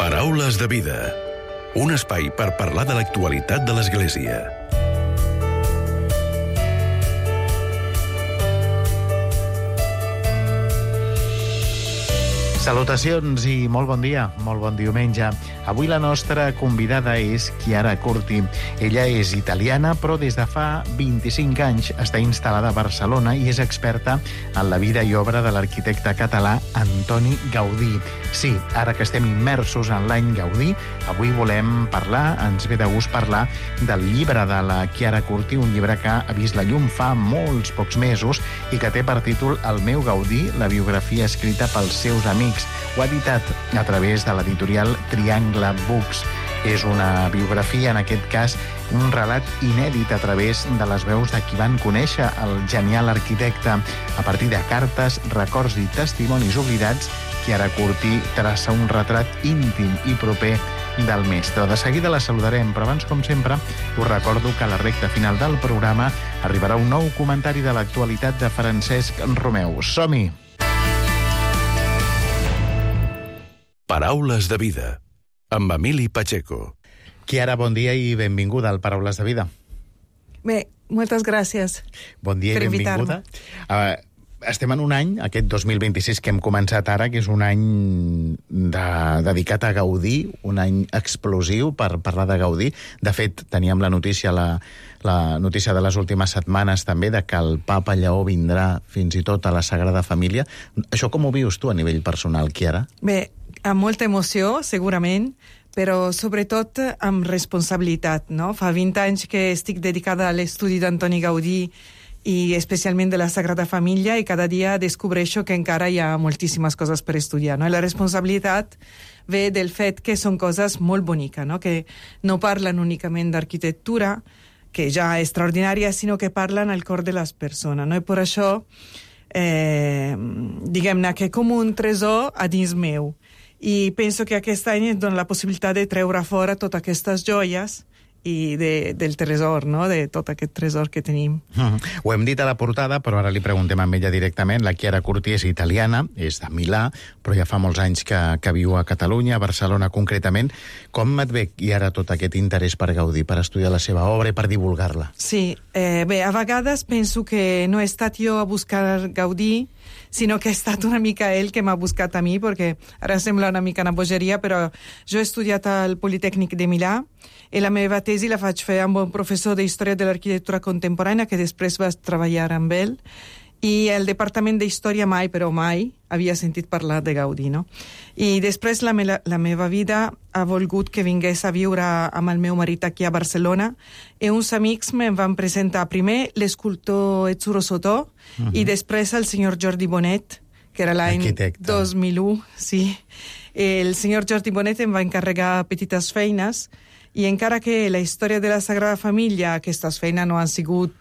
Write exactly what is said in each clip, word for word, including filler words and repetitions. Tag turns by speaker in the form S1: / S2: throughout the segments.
S1: Paraules de vida. Un espai per parlar de l'actualitat de l'Església.
S2: Salutacions i molt bon dia, molt bon diumenge. Avui la nostra convidada és Chiara Curti. Ella és italiana, però des de fa vint-i-cinc anys està instal·lada a Barcelona i és experta en la vida i obra de l'arquitecte català Antoni Gaudí. Sí, ara que estem immersos en l'any Gaudí, avui volem parlar, ens ve de gust parlar del llibre de la Chiara Curti, un llibre que ha vist la llum fa molts pocs mesos i que té per títol El meu Gaudí, la biografia escrita pels seus amics. Ho ha editat a través de l'editorial Triangle Books. És una biografia, en aquest cas, un relat inèdit a través de les veus de qui van conèixer el genial arquitecte. A partir de cartes, records i testimonis oblidats, Chiara Curti traça un retrat íntim i proper del mestre. De seguida la saludarem, però abans, com sempre, us recordo que a la recta final del programa arribarà un nou comentari de l'actualitat de Francesc Romeu. Som-hi!
S1: Paraules de vida, amb Emili Pacheco.
S2: Chiara, bon dia i benvinguda al Paraules de vida.
S3: Bé, moltes gràcies.
S2: Bon dia i benvinguda. Uh, estem en un any, aquest dos mil vint-i-sis que hem començat ara, que és un any de, dedicat a Gaudí, un any explosiu per parlar de Gaudí. De fet, teníem la notícia, la, la notícia de les últimes setmanes també, de que el papa Lleó vindrà fins i tot a la Sagrada Família. Això com ho vius tu a nivell personal, Chiara?
S3: Bé, amb molta emoció, segurament, però sobretot amb responsabilitat, no? Fa vint anys que estic dedicada a l'estudi d'Antoni Gaudí i especialment de la Sagrada Família, i cada dia descobreixo que encara hi ha moltíssimes coses per estudiar, no? I la responsabilitat ve del fet que són coses molt boniques, no? Que no parlen únicament d'arquitectura, que ja és extraordinària, sinó que parlen al cor de les persones, no? I per això, eh, diguem-ne que com un tresor a dins meu. I penso que aquest any em dona la possibilitat de treure fora totes aquestes joies i de, del tresor, no? De tot aquest tresor que tenim.
S2: Mm-hmm. Ho hem dit a la portada, però ara li preguntem a ella directament. La Chiara Curti és italiana, és de Milà, però ja fa molts anys que, que viu a Catalunya, a Barcelona concretament. Com et ve i ara tot aquest interès per Gaudí, per estudiar la seva obra i per divulgar-la?
S3: Sí, eh, bé, a vegades penso que no he estat jo a buscar Gaudí, sinó que ha estat una mica ell que m'ha buscat a mi, perquè ara sembla una mica una bogeria, però jo he estudiat al Politècnic de Milà i la meva tesi la faig fer amb un professor d'Història de l'Arquitectura Contemporània que després va treballar amb ell, i el Departament d'Història mai, però mai, havia sentit parlar de Gaudí, no? I després la, me la meva vida ha volgut que vingués a viure amb el meu marit aquí a Barcelona, i uns amics me'n van presentar primer l'escultor Etzuro Sotò, uh-huh. i després el senyor Jordi Bonet, que era l'any dos mil u, sí. El senyor Jordi Bonet em va encarregar petites feines, i encara que la història de la Sagrada Família, aquestes feines no han sigut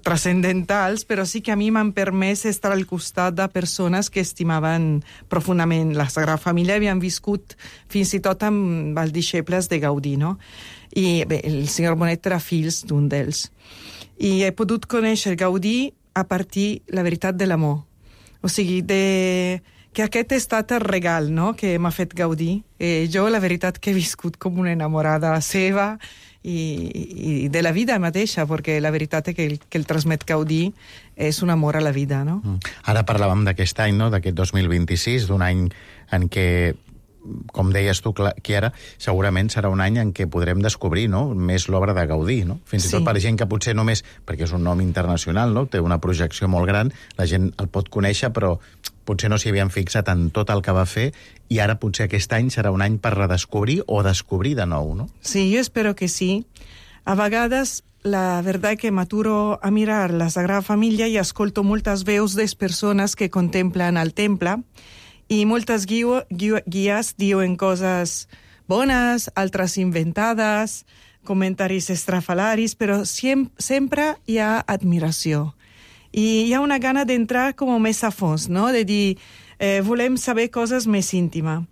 S3: transcendentals, però sí que a mi m'han permès estar al costat de persones que estimaven profundament la Sagrada Família i havien viscut fins i tot amb els deixebles de Gaudí, no? I bé, el senyor Bonet era fills d'un d'ells. I he pogut conèixer Gaudí a partir, la veritat, de l'amor. O sigui, de... que aquest ha estat el regal, no?, que m'ha fet Gaudí. Eh, jo, la veritat, que he viscut com una enamorada seva i, i de la vida mateixa, perquè la veritat és que el, que el transmet Gaudí és un amor a la vida, no?
S2: Mm. Ara parlàvem d'aquest any, no?, d'aquest dos mil vint-i-sis, d'un any en què, com deies tu, Chiara, segurament serà un any en què podrem descobrir, no?, més l'obra de Gaudí, no? Fins i sí. tot per gent que potser només, perquè és un nom internacional, no?, té una projecció molt gran, la gent el pot conèixer, però potser no s'hi havien fixat en tot el que va fer, i ara potser aquest any serà un any per redescobrir o descobrir de nou, no?
S3: Sí, jo espero que sí. A vegades, la veritat que m'aturo a mirar la Sagrada Família i escolto moltes veus de persones que contemplen el temple, i moltes guio, guio, guies diuen coses bones, altres inventades, comentaris estrafalaris, però siem, sempre hi ha admiració. I hi ha una gana d'entrar com més a fons, no? De dir, eh, volem saber coses més íntimes.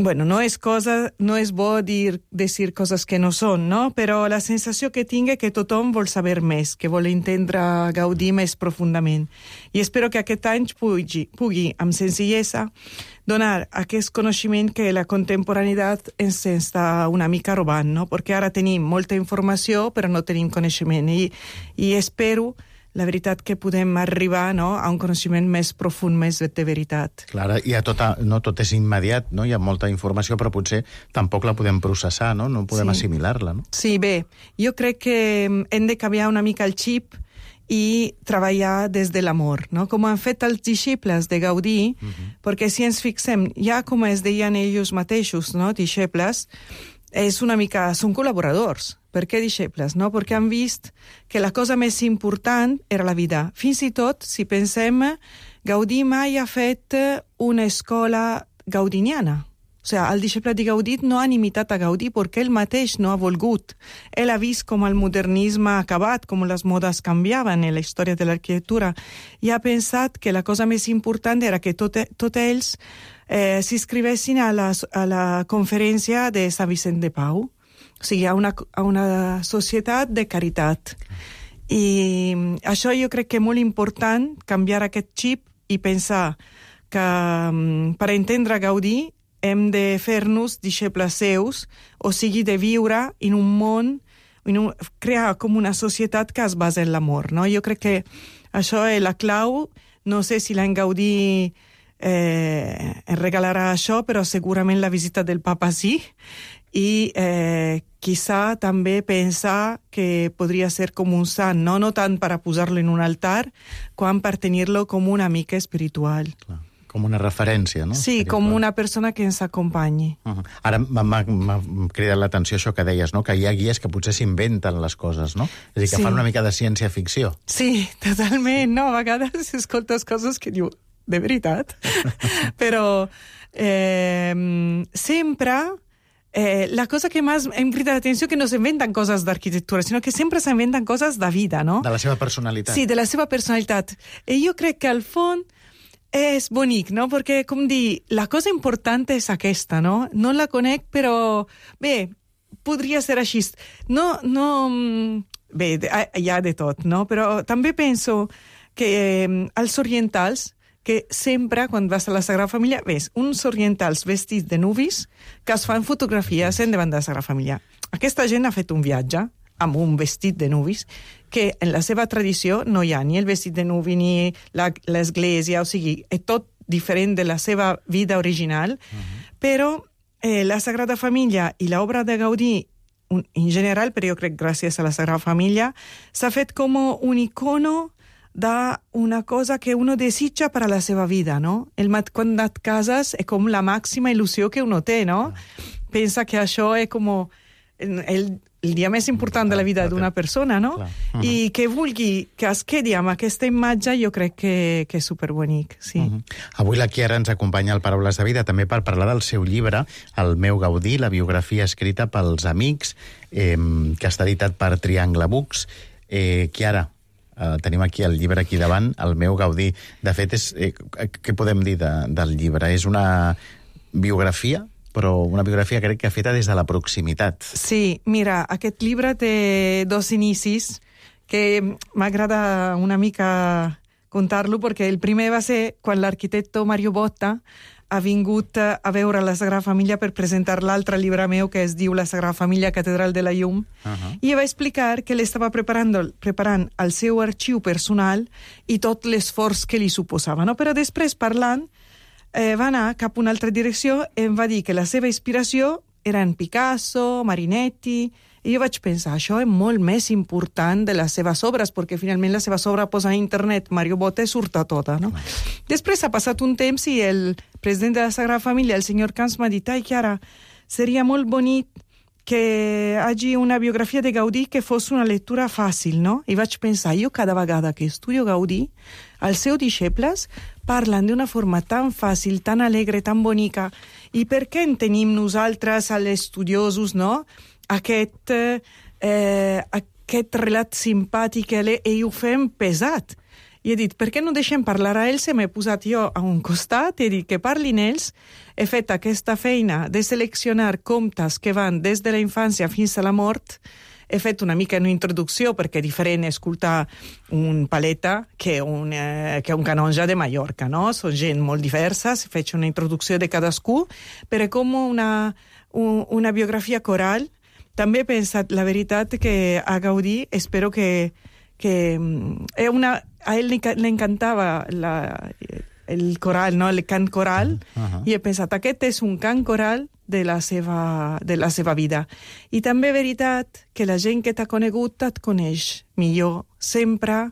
S3: bueno, no és, cosa, no és bo dir, decir coses que no són, no? Però la sensació que tinc és que tothom vol saber més, que vol entendre Gaudí més profundament. I espero que aquest any pugui, pugui amb senzillesa, donar aquest coneixement que la contemporaneïtat ens està una mica robant, no? Perquè ara tenim molta informació, però no tenim coneixement. I, i espero, la veritat, que podem arribar, no, a un coneixement més profund, més de veritat.
S2: Clar, i a tota, no tot és immediat, no? Hi ha molta informació, però potser tampoc la podem processar, no? No podem sí. assimilar-la, no?
S3: Sí, bé, jo crec que hem de canviar una mica el xip i treballar des de l'amor, no? Com han fet els deixebles de Gaudí, uh-huh. perquè si ens fixem, ja com es deien ells mateixos, no, deixebles, és una mica, són col·laboradors. Per què deixebles? No? Perquè han vist que la cosa més important era la vida. Fins i tot, si pensem, Gaudí mai ha fet una escola gaudiniana. O sigui, el deixeble de Gaudí no han imitat a Gaudí perquè ell mateix no ha volgut. Ell ha vist com el modernisme ha acabat, com les modes canviaven en la història de l'arquitectura, i ha pensat que la cosa més important era que tots tot ells eh, s'inscrivessin a, la, a la conferència de Sant Vicent de Pau. O sigui, a una, a una societat de caritat. I això jo crec que és molt important, canviar aquest xip i pensar que um, per entendre Gaudí hem de fer-nos deixebles seus, o sigui, de viure en un món, en un, crear com una societat que es basa en l'amor, no? Jo crec que això és la clau. No sé si l'en Gaudí eh, ens regalarà això, però segurament la visita del papa sí. I eh, quizá també pensar que podria ser com un sant, no, no tant per a posar-lo en un altar, quan per tenir-lo com un amic espiritual.
S2: Clar, com una referència, no?
S3: Sí, espiritual. Com una persona que ens acompanyi.
S2: Uh-huh. Ara m'ha cridat l'atenció això que deies, no? Que hi ha guies que potser s'inventen les coses, no? És a dir, que sí. fan una mica de ciència-ficció.
S3: Sí, totalment, no? A vegades escoltes coses que diu, de veritat. Però eh, sempre... Eh, la cosa que més em crida l'atenció que no s'inventen coses d'arquitectura, sinó que sempre s'inventen coses de vida, no?
S2: De la seva personalitat.
S3: Sí, de la seva personalitat. I jo crec que al fons és bonic, no? Perquè, com dir, la cosa important és aquesta, no? No la conec, però bé, podria ser així. No, no... Bé, hi ha de tot, no? Però també penso que eh, els orientals, que sempre, quan vas a la Sagrada Família, ves uns orientals vestits de nuvis que es fan fotografies en davant de la Sagrada Família. Aquesta gent ha fet un viatge amb un vestit de nuvis que en la seva tradició no hi ha ni el vestit de nuvi ni l'església, o sigui, és tot diferent de la seva vida original, uh-huh. però eh, la Sagrada Família i l'obra de Gaudí en general, però jo crec gràcies a la Sagrada Família, s'ha fet com un icono d'una cosa que uno desitja per a la seva vida, no? El mat quan et cases és com la màxima il·lusió que uno té, no? Pensa que això és com el, el dia més important de la vida d'una persona, no? Uh-huh. I que vulgui que es quedi amb aquesta imatge, jo crec que, que és superbonic, sí.
S2: Uh-huh. Avui la Chiara ens acompanya al Paraules de Vida també per parlar del seu llibre, El meu Gaudí, la biografia escrita pels amics, eh, que està editat per Triangle Books. Eh, Chiara, Uh, tenim aquí el llibre aquí davant, El meu Gaudí. De fet, és, eh, què podem dir de, del llibre? És una biografia, però una biografia crec que feta des de la proximitat.
S3: Sí, mira, aquest llibre té dos inicis que m'agrada una mica contar-lo, perquè el primer va ser quan l'arquitecte Mario Botta ha vingut a veure la Sagrada Família per presentar l'altre llibre meu que es diu La Sagrada Família, Catedral de la Llum, uh-huh. i va explicar que l'estava preparant, preparant el seu arxiu personal i tot l'esforç que li suposava, no? Però després, parlant, eh, va anar cap a una altra direcció i em va dir que la seva inspiració eren Picasso, Marinetti, i jo vaig pensar, això és molt més important de les seves obres, perquè finalment la seva obra posa a internet, Mario Botta, surt a tota, no? Després ha passat un temps i el president de la Sagrada Família, el senyor Camps, m'ha dit, ai, Chiara, seria molt bonic que hi hagi una biografia de Gaudí que fos una lectura fàcil, no? I vaig pensar, jo cada vegada que estudio Gaudí, els seus deixebles parlen d'una forma tan fàcil, tan alegre, tan bonica, i per què en tenim nosaltres, els estudiosos, no?, aquest, eh, aquest relat simpàtic i ho fem pesat. i he dit, per què no deixem parlar a ells? I m'he posat jo a un costat i he dit que parlin ells. He fet aquesta feina de seleccionar contes que van des de la infància fins a la mort. He fet una mica una introducció, perquè és diferent escoltar un paleta que un, eh, que un canonge de Mallorca, no? Són gent molt diversa, he fet una introducció de cadascú, però com una, un, una biografia coral. També he pensat, la veritat, que a Gaudí espero que... que una, a ell li, li encantava la, el coral, no? El cant coral, uh-huh. I he pensat, aquest és un cant coral de la seva, de la seva vida. I també és veritat que la gent que t'ha conegut et coneix millor. Sempre,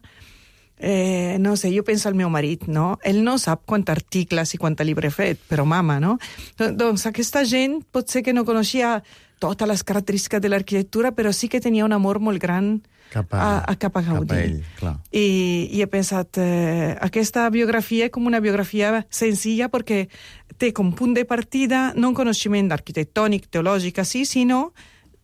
S3: eh, no sé, jo penso al meu marit, no? Ell no sap quants articles i quant llibre he fet, però mama, no? Doncs aquesta gent pot ser que no coneixia totes les característiques de l'arquitectura, però sí que tenia un amor molt gran cap a, a, a, cap a Gaudí.
S2: Cap a ell, clar.
S3: I, i he pensat, eh, aquesta biografia és com una biografia senzilla perquè té com punt de partida no un coneixement arquitectònic, teològic, així, sinó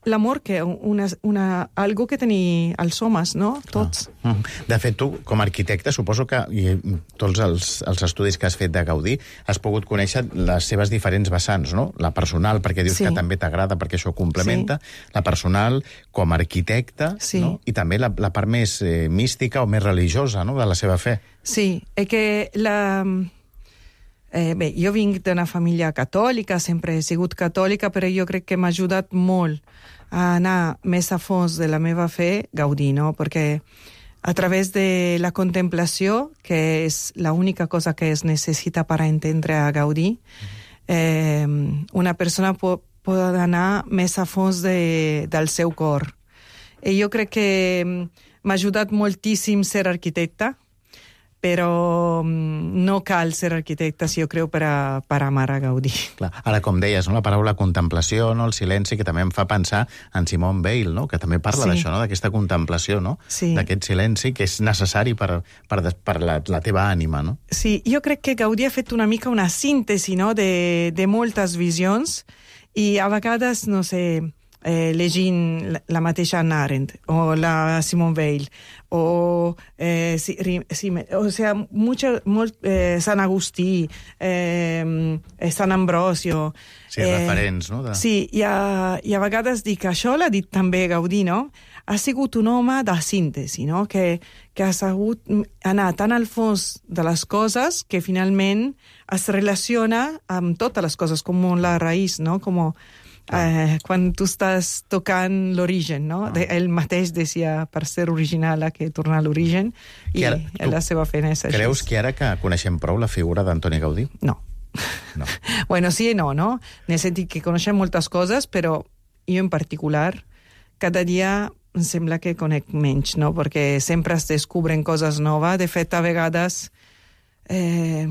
S3: l'amor, que una, una, algo que tenir els homes, no? Tots.
S2: Ah. De fet, tu, com a arquitecte, suposo que i tots els, els estudis que has fet de Gaudí has pogut conèixer les seves diferents vessants, no? La personal, perquè dius sí. Que també t'agrada, perquè això complementa. Sí. La personal, com a arquitecte, sí. No? I també la, la part més eh, mística o més religiosa, no? De la seva fe.
S3: Sí, és que la... Eh, bé, jo vinc d'una família catòlica, sempre he sigut catòlica, però jo crec que m'ha ajudat molt a anar més a fons de la meva fe, Gaudí, no? Perquè a través de la contemplació, que és l'única cosa que es necessita per entendre a Gaudí, eh, una persona pot, pot anar més a fons de, del seu cor. I jo crec que m'ha ajudat moltíssim ser arquitecte, però no cal ser arquitecte, si jo crec, per a, per a amar a Gaudí.
S2: Clar. Ara, com deies, no? La paraula contemplació, no? El silenci, que també em fa pensar en Simone Weil, no? Que també parla sí. D'això, no? D'aquesta contemplació, no?
S3: Sí.
S2: D'aquest silenci que és necessari per, per, per la, la teva ànima, no?
S3: Sí, jo crec que Gaudí ha fet una mica una síntesi, no? de, de moltes visions, i a vegades, no sé... Eh, llegint la mateixa Hannah Arendt o la Simone Weil o, eh, si, si, o sea, mucho, molt, eh, Sant Agustí, eh, Sant Ambrosio...
S2: Sí, eh, referents, no? De...
S3: Sí, i a, i a vegades dic, això l'ha dit també Gaudí, no? Ha sigut un home de síntesi, no? Que, que ha sabut anar tan al fons de les coses que finalment es relaciona amb totes les coses, com la raïs, no? Com... Eh, quan tu estàs tocant l'origen, no? Ah. Ell mateix deia per ser original a que tornar a l'origen, i ara, la seva feina és així.
S2: Creus que ara que coneixem prou la figura d'Antoni Gaudí?
S3: No.
S2: No.
S3: Bueno, sí i no, no? En el sentit que coneixem moltes coses, però jo en particular, cada dia em sembla que conec menys, no? Perquè sempre es descobren coses noves. De fet, a vegades, eh,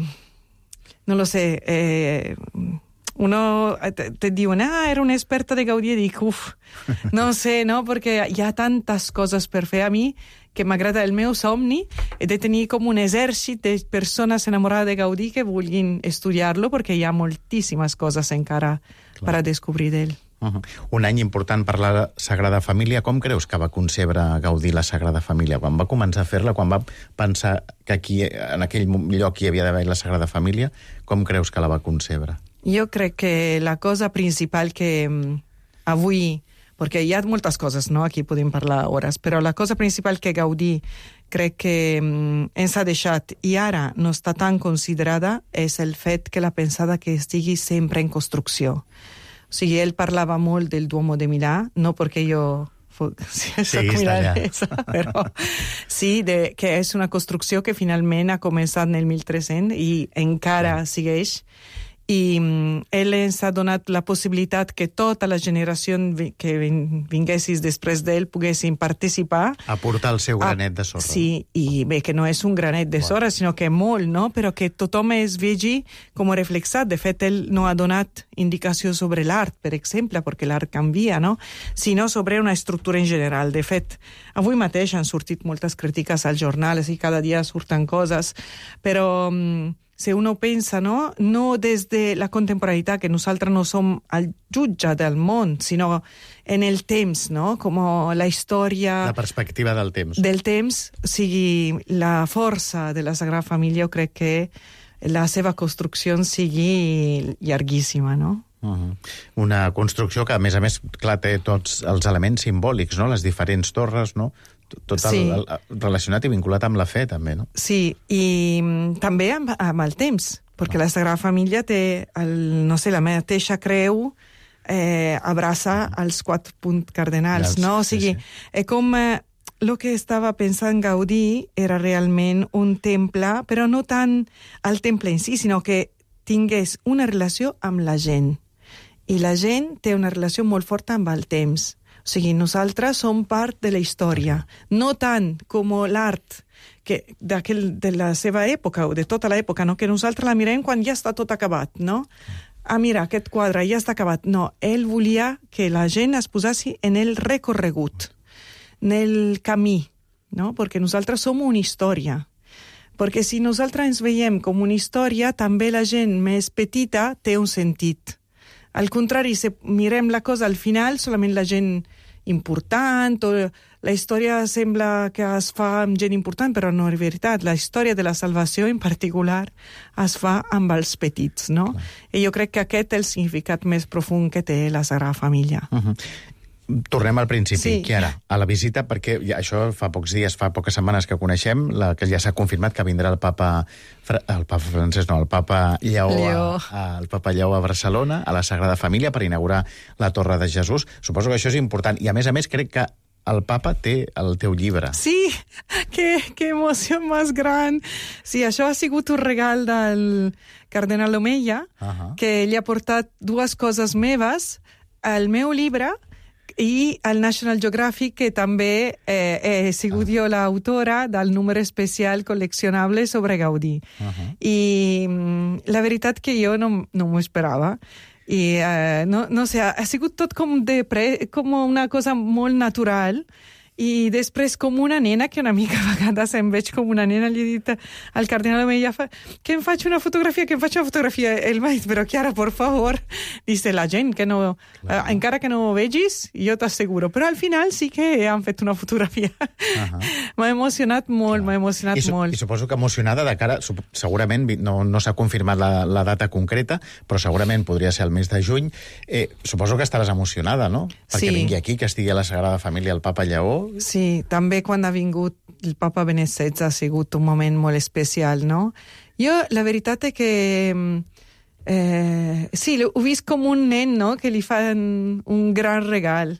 S3: no lo sé, eh, uno te, te diuen, ah, era una experta de Gaudí, i dic, uf, no sé, no? Perquè hi ha tantes coses per fer. A mi, que m'agrada el meu somni, he de tenir com un exèrcit de persones enamorades de Gaudí que vulguin estudiar-lo, perquè hi ha moltíssimes coses encara Clar. Per a descobrir d'ell.
S2: Uh-huh. Un any important per la Sagrada Família. Com creus que va concebre Gaudí la Sagrada Família? Quan va començar a fer-la, quan va pensar que aquí, en aquell lloc hi havia d'haver la Sagrada Família, com creus que la va concebre?
S3: Jo crec que la cosa principal que um, avui, perquè hi ha moltes coses, no? Aquí podem parlar hores, però la cosa principal que Gaudí crec que um, ens ha deixat i ara no està tan considerada és el fet que la pensada que estigui sempre en construcció. O sigui, ell parlava molt del Duomo de Milà, no perquè jo... Sí,
S2: sí, està allà.
S3: Però sí, de, que és una construcció que finalment ha començat en el mil tres-cents i encara sí. Segueix. I um, ell ens ha donat la possibilitat que tota la generació que vinguessis després d'ell poguessin participar.
S2: Aportar el seu granet de sorra.
S3: Sí, i bé, que no és un granet de sorra, sinó que molt, no? Però que tothom es vegi com reflexat. De fet, ell no ha donat indicació sobre l'art, per exemple, perquè l'art canvia, no? Sinó sobre una estructura en general. De fet, avui mateix han sortit moltes crítiques als jornals i cada dia surten coses, però... Um, si uno pensa, no? No des de la contemporaneïtat, que nosaltres no som el jutge del món, sinó en el temps, no? Com la història...
S2: La perspectiva del temps.
S3: Del temps, o sigui, la força de la Sagrada Família, jo crec que la seva construcció sigui llarguíssima, no?
S2: Uh-huh. Una construcció que, a més a més, clar, té tots els elements simbòlics, no? Les diferents torres, no? Tot el, sí. el, el, relacionat i vinculat amb la fe, també, no?
S3: Sí, i també amb, amb el temps, perquè ah. la Sagrada Família té, el, no sé, la mateixa creu, eh, abraça ah. els quatre punts cardenals, els, no? O sigui, sí, sí. és com... Eh, el que estava pensant Gaudí era realment un temple, però no tant el temple en si, sinó que tingués una relació amb la gent. I la gent té una relació molt forta amb el temps. O sigui, nosaltres som part de la història, no tant com l'art que de la seva època o de tota l'època, no? Que nosaltres la mirem quan ja està tot acabat, no? Ah, mira, aquest quadre ja està acabat. No, ell volia que la gent es posassi en el recorregut, en el camí, no? Perquè nosaltres som una història. Perquè si nosaltres ens veiem com una història, també la gent més petita té un sentit. Al contrari, si mirem la cosa al final, solament la gent important, o la història sembla que es fa amb gent important, però no és veritat. La història de la salvació, en particular, es fa amb els petits, no? Clar. I jo crec que aquest és el significat més profund que té la Sagrada Família.
S2: Uh-huh. Tornem al principi,
S3: sí.
S2: Chiara, a la visita, perquè ja, això fa pocs dies, fa poques setmanes que coneixem, la, que ja s'ha confirmat que vindrà el papa, el papa francès, no, el papa Lleó,
S3: Lleó.
S2: A, a, el papa Lleó a Barcelona, a la Sagrada Família, per inaugurar la Torre de Jesús. Suposo que això és important. I, a més a més, crec que el papa té el teu llibre.
S3: Sí, que, que emoció més gran. Sí, això ha sigut un regal del cardenal Omeya, uh-huh. que ell ha portat dues coses meves, el meu llibre i el National Geographic, que també eh, he sigut jo l'autora del número especial col·leccionable sobre Gaudí. Uh-huh. I mm, la veritat que jo no, no m'ho esperava. I eh, no, no sé, ha sigut tot com, de pre, com una cosa molt natural. I després com una nena, que una mica a vegades em veig com una nena, li he dit al cardenal Omeya que em faig una fotografia, que em faig una fotografia. Ell m'ha dit, però Chiara, por favor, dice la gent, que no, eh, encara que no ho vegis, jo t'asseguro. Però al final sí que han fet una fotografia. Uh-huh. M'ha emocionat molt, m'ha emocionat
S2: I su
S3: molt.
S2: I suposo que emocionada de cara, segurament, no, no s'ha confirmat la, la data concreta, però segurament podria ser el mes de juny. Eh, suposo que estaràs emocionada, no? Perquè
S3: sí.
S2: vingui aquí, que estigui a la Sagrada Família el papa Lleó.
S3: Sí, també quan ha vingut el papa Benet setze ha sigut un moment molt especial, no? Jo, la veritat és que eh, sí, ho vist com un nen, no?, que li fan un gran regal.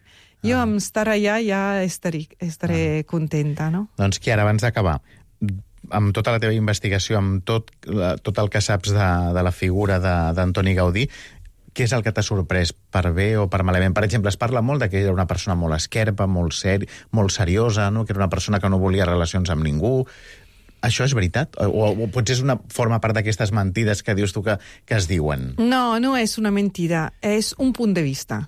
S3: Jo, ah. amb estar allà, ja estaré, estaré ah. contenta, no?
S2: Doncs, Chiara, abans d'acabar, amb tota la teva investigació, amb tot, la, tot el que saps de, de la figura d'Antoni Gaudí, què és el que t'ha sorprès, per bé o per malament? Per exemple, es parla molt de que era una persona molt esquerpa, molt, ser, molt seriosa, no? Que era una persona que no volia relacions amb ningú. Això és veritat? O, o potser és una, forma part d'aquestes mentides que dius tu que, que es diuen?
S3: No, no és una mentida, és un punt de vista.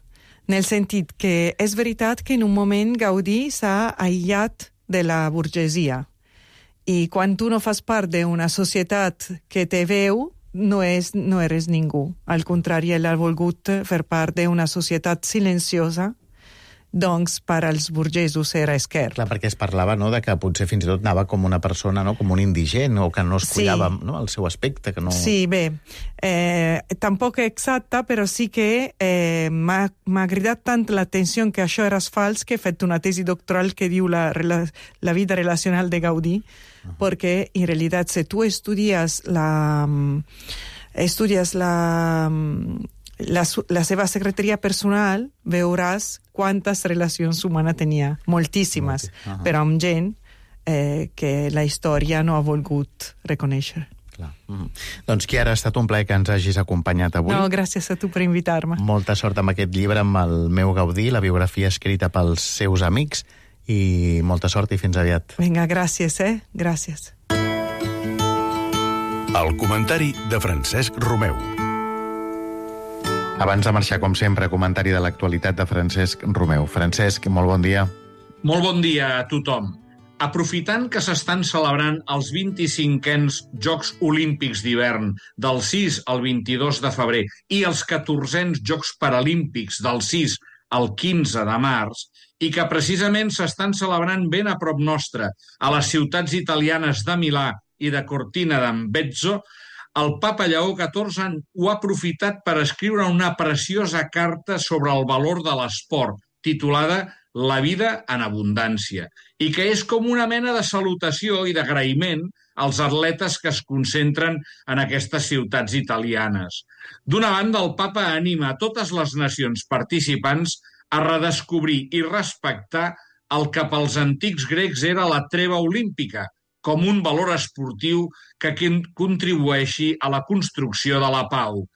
S3: En el sentit que és veritat que en un moment Gaudí s'ha aïllat de la burgesia. I quan tu no fas part d'una societat que te veu, no, és, no eres ningú. Al contrari, ell ha volgut fer part d'una societat silenciosa, doncs per als burgesos era esquerp.
S2: Clar, perquè es parlava, no?, de que potser fins i tot anava com una persona, no?, com un indigent, o que no es cuidava, sí. no?, el seu aspecte. Que no...
S3: Sí, bé, eh, tampoc exacte, però sí que eh, m'ha cridat tant l'atenció que això era fals que he fet una tesi doctoral que diu la, la vida relacional de Gaudí, uh-huh. perquè en realitat si tu estudies la... estudies la... La, la seva secretaria personal, veuràs quantes relacions humanes tenia. Moltíssimes, okay. uh-huh. però amb gent eh, que la història no ha volgut reconèixer.
S2: Clar. Mm. Doncs, Chiara, ha estat un plaer que ens hagis acompanyat avui.
S3: No, gràcies a tu per invitar-me.
S2: Molta sort amb aquest llibre, amb el meu Gaudí, la biografia escrita pels seus amics, i molta sort i fins aviat.
S3: Vinga, gràcies, eh? Gràcies.
S1: El comentari de Francesc Romeu.
S2: Abans de marxar, com sempre, comentari de l'actualitat de Francesc Romeu. Francesc, molt bon dia.
S4: Molt bon dia a tothom. Aprofitant que s'estan celebrant els vint-i-cinquens Jocs Olímpics d'hivern del sis al vint-i-dos de febrer i els catorzens Jocs Paralímpics del sis al quinze de març, i que precisament s'estan celebrant ben a prop nostre, a les ciutats italianes de Milà i de Cortina d'Ampezzo, el papa Lleó catorze ho ha aprofitat per escriure una preciosa carta sobre el valor de l'esport, titulada La vida en abundància, i que és com una mena de salutació i d'agraïment als atletes que es concentren en aquestes ciutats italianes. D'una banda, el papa anima a totes les nacions participants a redescobrir i respectar el que pels antics grecs era la treva olímpica, com un valor esportiu que contribueixi a la construcció de la pau.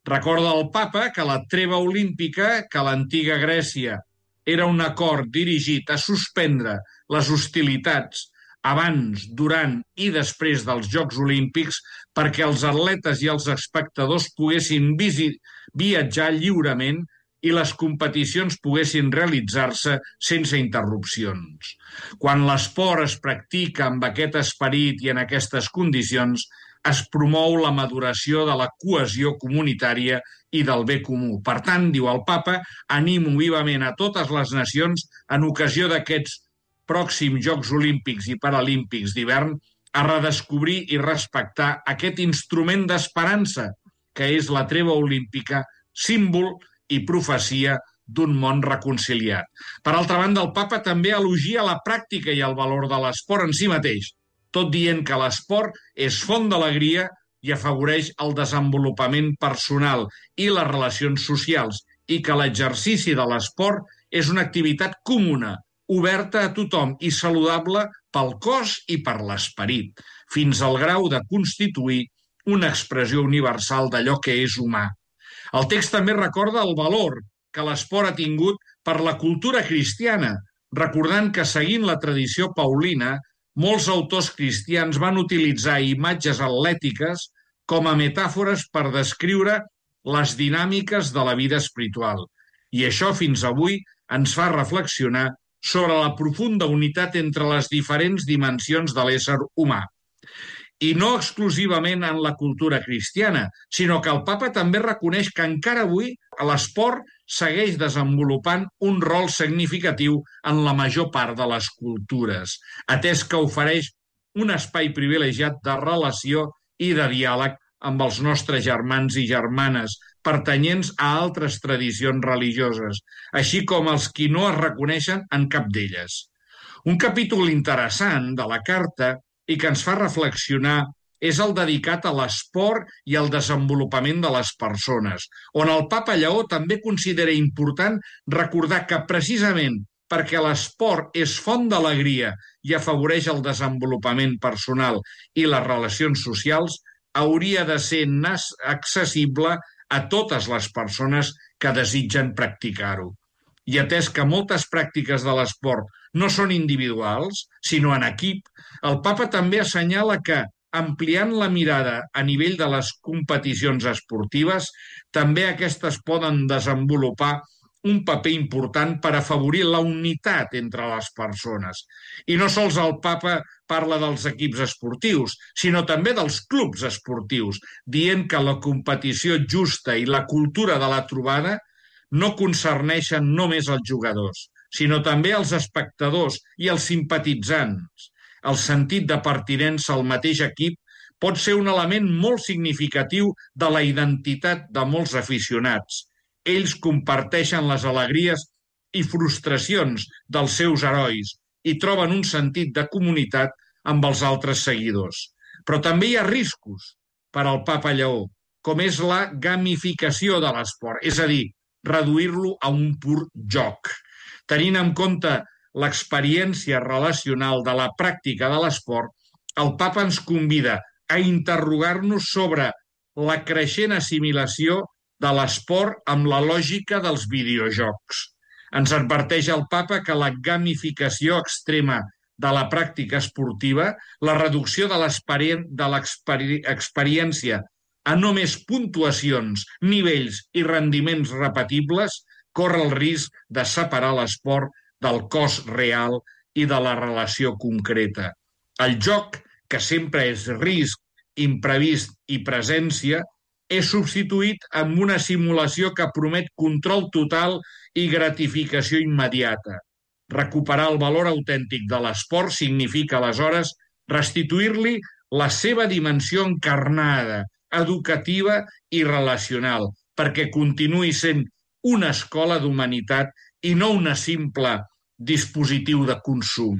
S4: Recorda el papa que la treva olímpica, que a l'antiga Grècia era un acord dirigit a suspendre les hostilitats abans, durant i després dels Jocs Olímpics perquè els atletes i els espectadors poguessin viatjar lliurement i les competicions poguessin realitzar-se sense interrupcions. Quan l'esport es practica amb aquest esperit i en aquestes condicions, es promou la maduració de la cohesió comunitària i del bé comú. Per tant, diu el papa, animo vivament a totes les nacions en ocasió d'aquests pròxims Jocs Olímpics i Paralímpics d'hivern a redescobrir i respectar aquest instrument d'esperança que és la treva olímpica, símbol i profecia d'un món reconciliat. Per altra banda, el papa també elogia la pràctica i el valor de l'esport en si mateix, tot dient que l'esport és font d'alegria i afavoreix el desenvolupament personal i les relacions socials i que l'exercici de l'esport és una activitat comuna, oberta a tothom i saludable pel cos i per l'esperit, fins al grau de constituir una expressió universal d'allò que és humà. El text també recorda el valor que l'esport ha tingut per la cultura cristiana, recordant que, seguint la tradició paulina, molts autors cristians van utilitzar imatges atlètiques com a metàfores per descriure les dinàmiques de la vida espiritual. I això fins avui ens fa reflexionar sobre la profunda unitat entre les diferents dimensions de l'ésser humà. I no exclusivament en la cultura cristiana, sinó que el papa també reconeix que encara avui l'esport segueix desenvolupant un rol significatiu en la major part de les cultures, atès que ofereix un espai privilegiat de relació i de diàleg amb els nostres germans i germanes pertanyents a altres tradicions religioses, així com els qui no es reconeixen en cap d'elles. Un capítol interessant de la carta i que ens fa reflexionar és el dedicat a l'esport i al desenvolupament de les persones, on el papa Lleó també considera important recordar que precisament perquè l'esport és font d'alegria i afavoreix el desenvolupament personal i les relacions socials, hauria de ser accessible a totes les persones que desitgen practicar-ho. I atès que moltes pràctiques de l'esport no són individuals, sinó en equip, el papa també assenyala que, ampliant la mirada a nivell de les competicions esportives, també aquestes poden desenvolupar un paper important per afavorir la unitat entre les persones. I no sols el papa parla dels equips esportius, sinó també dels clubs esportius, dient que la competició justa i la cultura de la trobada no concerneixen només els jugadors, sinó també els espectadors i els simpatitzants. El sentit de pertinença al mateix equip pot ser un element molt significatiu de la identitat de molts aficionats. Ells comparteixen les alegries i frustracions dels seus herois i troben un sentit de comunitat amb els altres seguidors. Però també hi ha riscos per al papa Lleó, com és la gamificació de l'esport, és a dir, reduir-lo a un pur joc. Tenint en compte l'experiència relacional de la pràctica de l'esport, el papa ens convida a interrogar-nos sobre la creixent assimilació de l'esport amb la lògica dels videojocs. Ens adverteix el papa que la gamificació extrema de la pràctica esportiva, la reducció de l'experiència a només puntuacions, nivells i rendiments repetibles, corre el risc de separar l'esport del cos real i de la relació concreta. El joc, que sempre és risc, imprevist i presència, és substituït amb una simulació que promet control total i gratificació immediata. Recuperar el valor autèntic de l'esport significa, aleshores, restituir-li la seva dimensió encarnada, educativa i relacional, perquè continuï sent una escola d'humanitat i no una simple dispositiu de consum.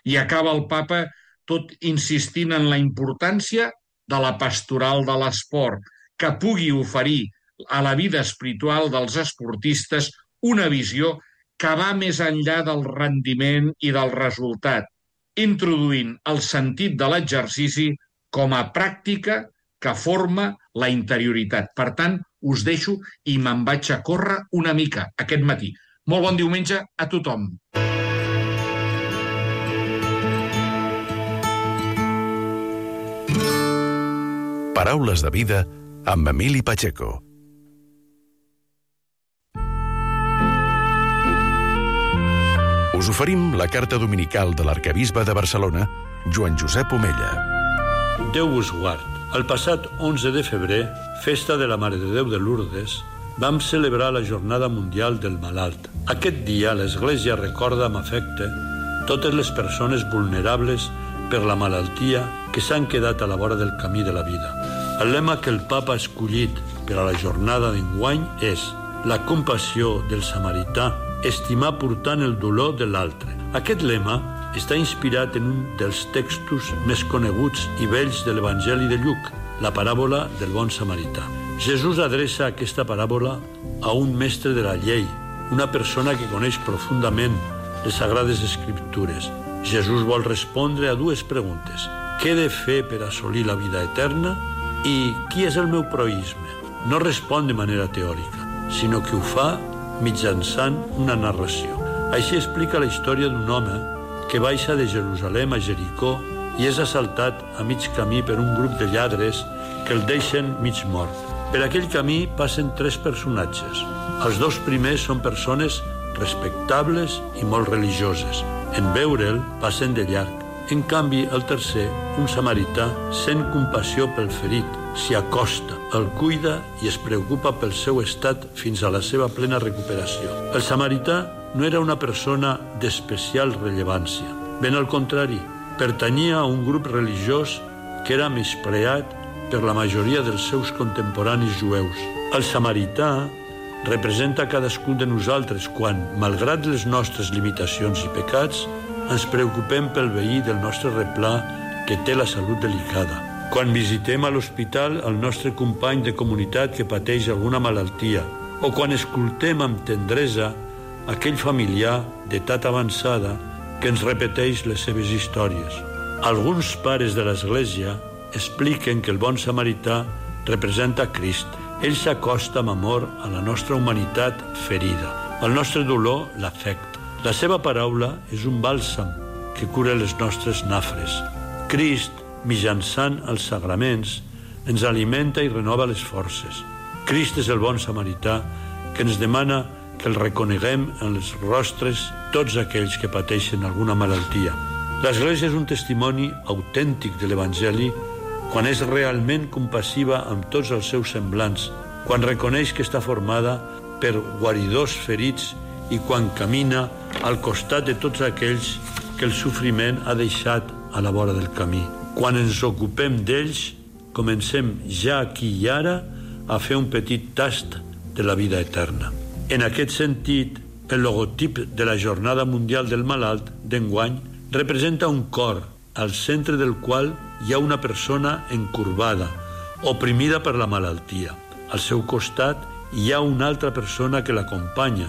S4: I acaba el papa tot insistint en la importància de la pastoral de l'esport, que pugui oferir a la vida espiritual dels esportistes una visió que va més enllà del rendiment i del resultat, introduint el sentit de l'exercici com a pràctica que forma la interioritat. Per tant, us deixo i me'n vaig a córrer una mica aquest matí. Molt bon diumenge a tothom.
S1: Paraules de vida amb Emili Pacheco. Us oferim la carta dominical de l'arquebisbe de Barcelona, Joan Josep Omella.
S5: Déu vos guard. El passat onze de febrer, festa de la Mare de Déu de Lourdes, vam celebrar la Jornada Mundial del Malalt. Aquest dia l'Església recorda amb afecte totes les persones vulnerables per la malaltia que s'han quedat a la vora del camí de la vida. El lema que el Papa ha escollit per a la jornada d'enguany és la compassió del samarità, estimar portant el dolor de l'altre. Aquest lema està inspirat en un dels textos més coneguts i vells de l'Evangeli de Lluc, la paràbola del bon samarità. Jesús adreça aquesta paràbola a un mestre de la llei, una persona que coneix profundament les Sagrades Escriptures. Jesús vol respondre a dues preguntes. Què he de fer per assolir la vida eterna? I qui és el meu proïsme? No respon de manera teòrica, sinó que ho fa mitjançant una narració. Així explica la història d'un home que baixa de Jerusalem a Jericó i és assaltat a mig camí per un grup de lladres que el deixen mig mort. Per aquell camí passen tres personatges. Els dos primers són persones respectables i molt religioses. En veure'l, passen de llarg. En canvi, el tercer, un samarità, sent compassió pel ferit, s'hi acosta, el cuida i es preocupa pel seu estat fins a la seva plena recuperació. El samarità no era una persona d'especial rellevància. Ben al contrari, pertanyia a un grup religiós que era menyspreat per la majoria dels seus contemporanis jueus. El samarità representa cadascun de nosaltres quan, malgrat les nostres limitacions i pecats, ens preocupem pel veí del nostre replà que té la salut delicada. Quan visitem a l'hospital el nostre company de comunitat que pateix alguna malaltia, o quan escoltem amb tendresa aquell familiar d'edat avançada que ens repeteix les seves històries. Alguns pares de l'Església expliquen que el bon samarità representa Crist. Ell s'acosta amb amor a la nostra humanitat ferida. El nostre dolor l'afecta. La seva paraula és un bàlsam que cura les nostres nafres. Crist, mitjançant els sagraments, ens alimenta i renova les forces. Crist és el bon samarità que ens demana que el reconeguem en els rostres tots aquells que pateixen alguna malaltia. L'Església és un testimoni autèntic de l'Evangeli quan és realment compassiva amb tots els seus semblants, quan reconeix que està formada per guaridors ferits i quan camina al costat de tots aquells que el sofriment ha deixat a la vora del camí. Quan ens ocupem d'ells, comencem ja aquí i ara a fer un petit tast de la vida eterna. En aquest sentit, el logotip de la Jornada Mundial del Malalt d'enguany representa un cor, al centre del qual hi ha una persona encorbada, oprimida per la malaltia. Al seu costat hi ha una altra persona que l'acompanya,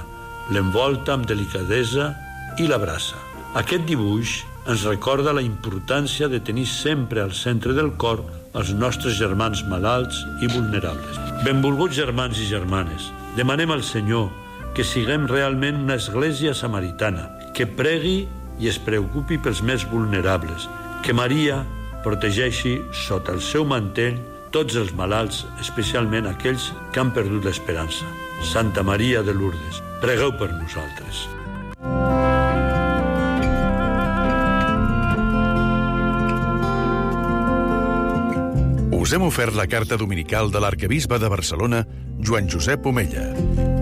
S5: l'envolta amb delicadesa i l'abraça. Aquest dibuix ens recorda la importància de tenir sempre al centre del cor els nostres germans malalts i vulnerables. Benvolguts germans i germanes, demanem al Senyor que siguem realment una església samaritana, que pregui i es preocupi pels més vulnerables, que Maria protegeixi sota el seu mantell tots els malalts, especialment aquells que han perdut l'esperança. Santa Maria de Lourdes, pregueu per nosaltres.
S1: Us hem ofert la carta dominical de l'arquebisbe de Barcelona, Joan Josep Omella.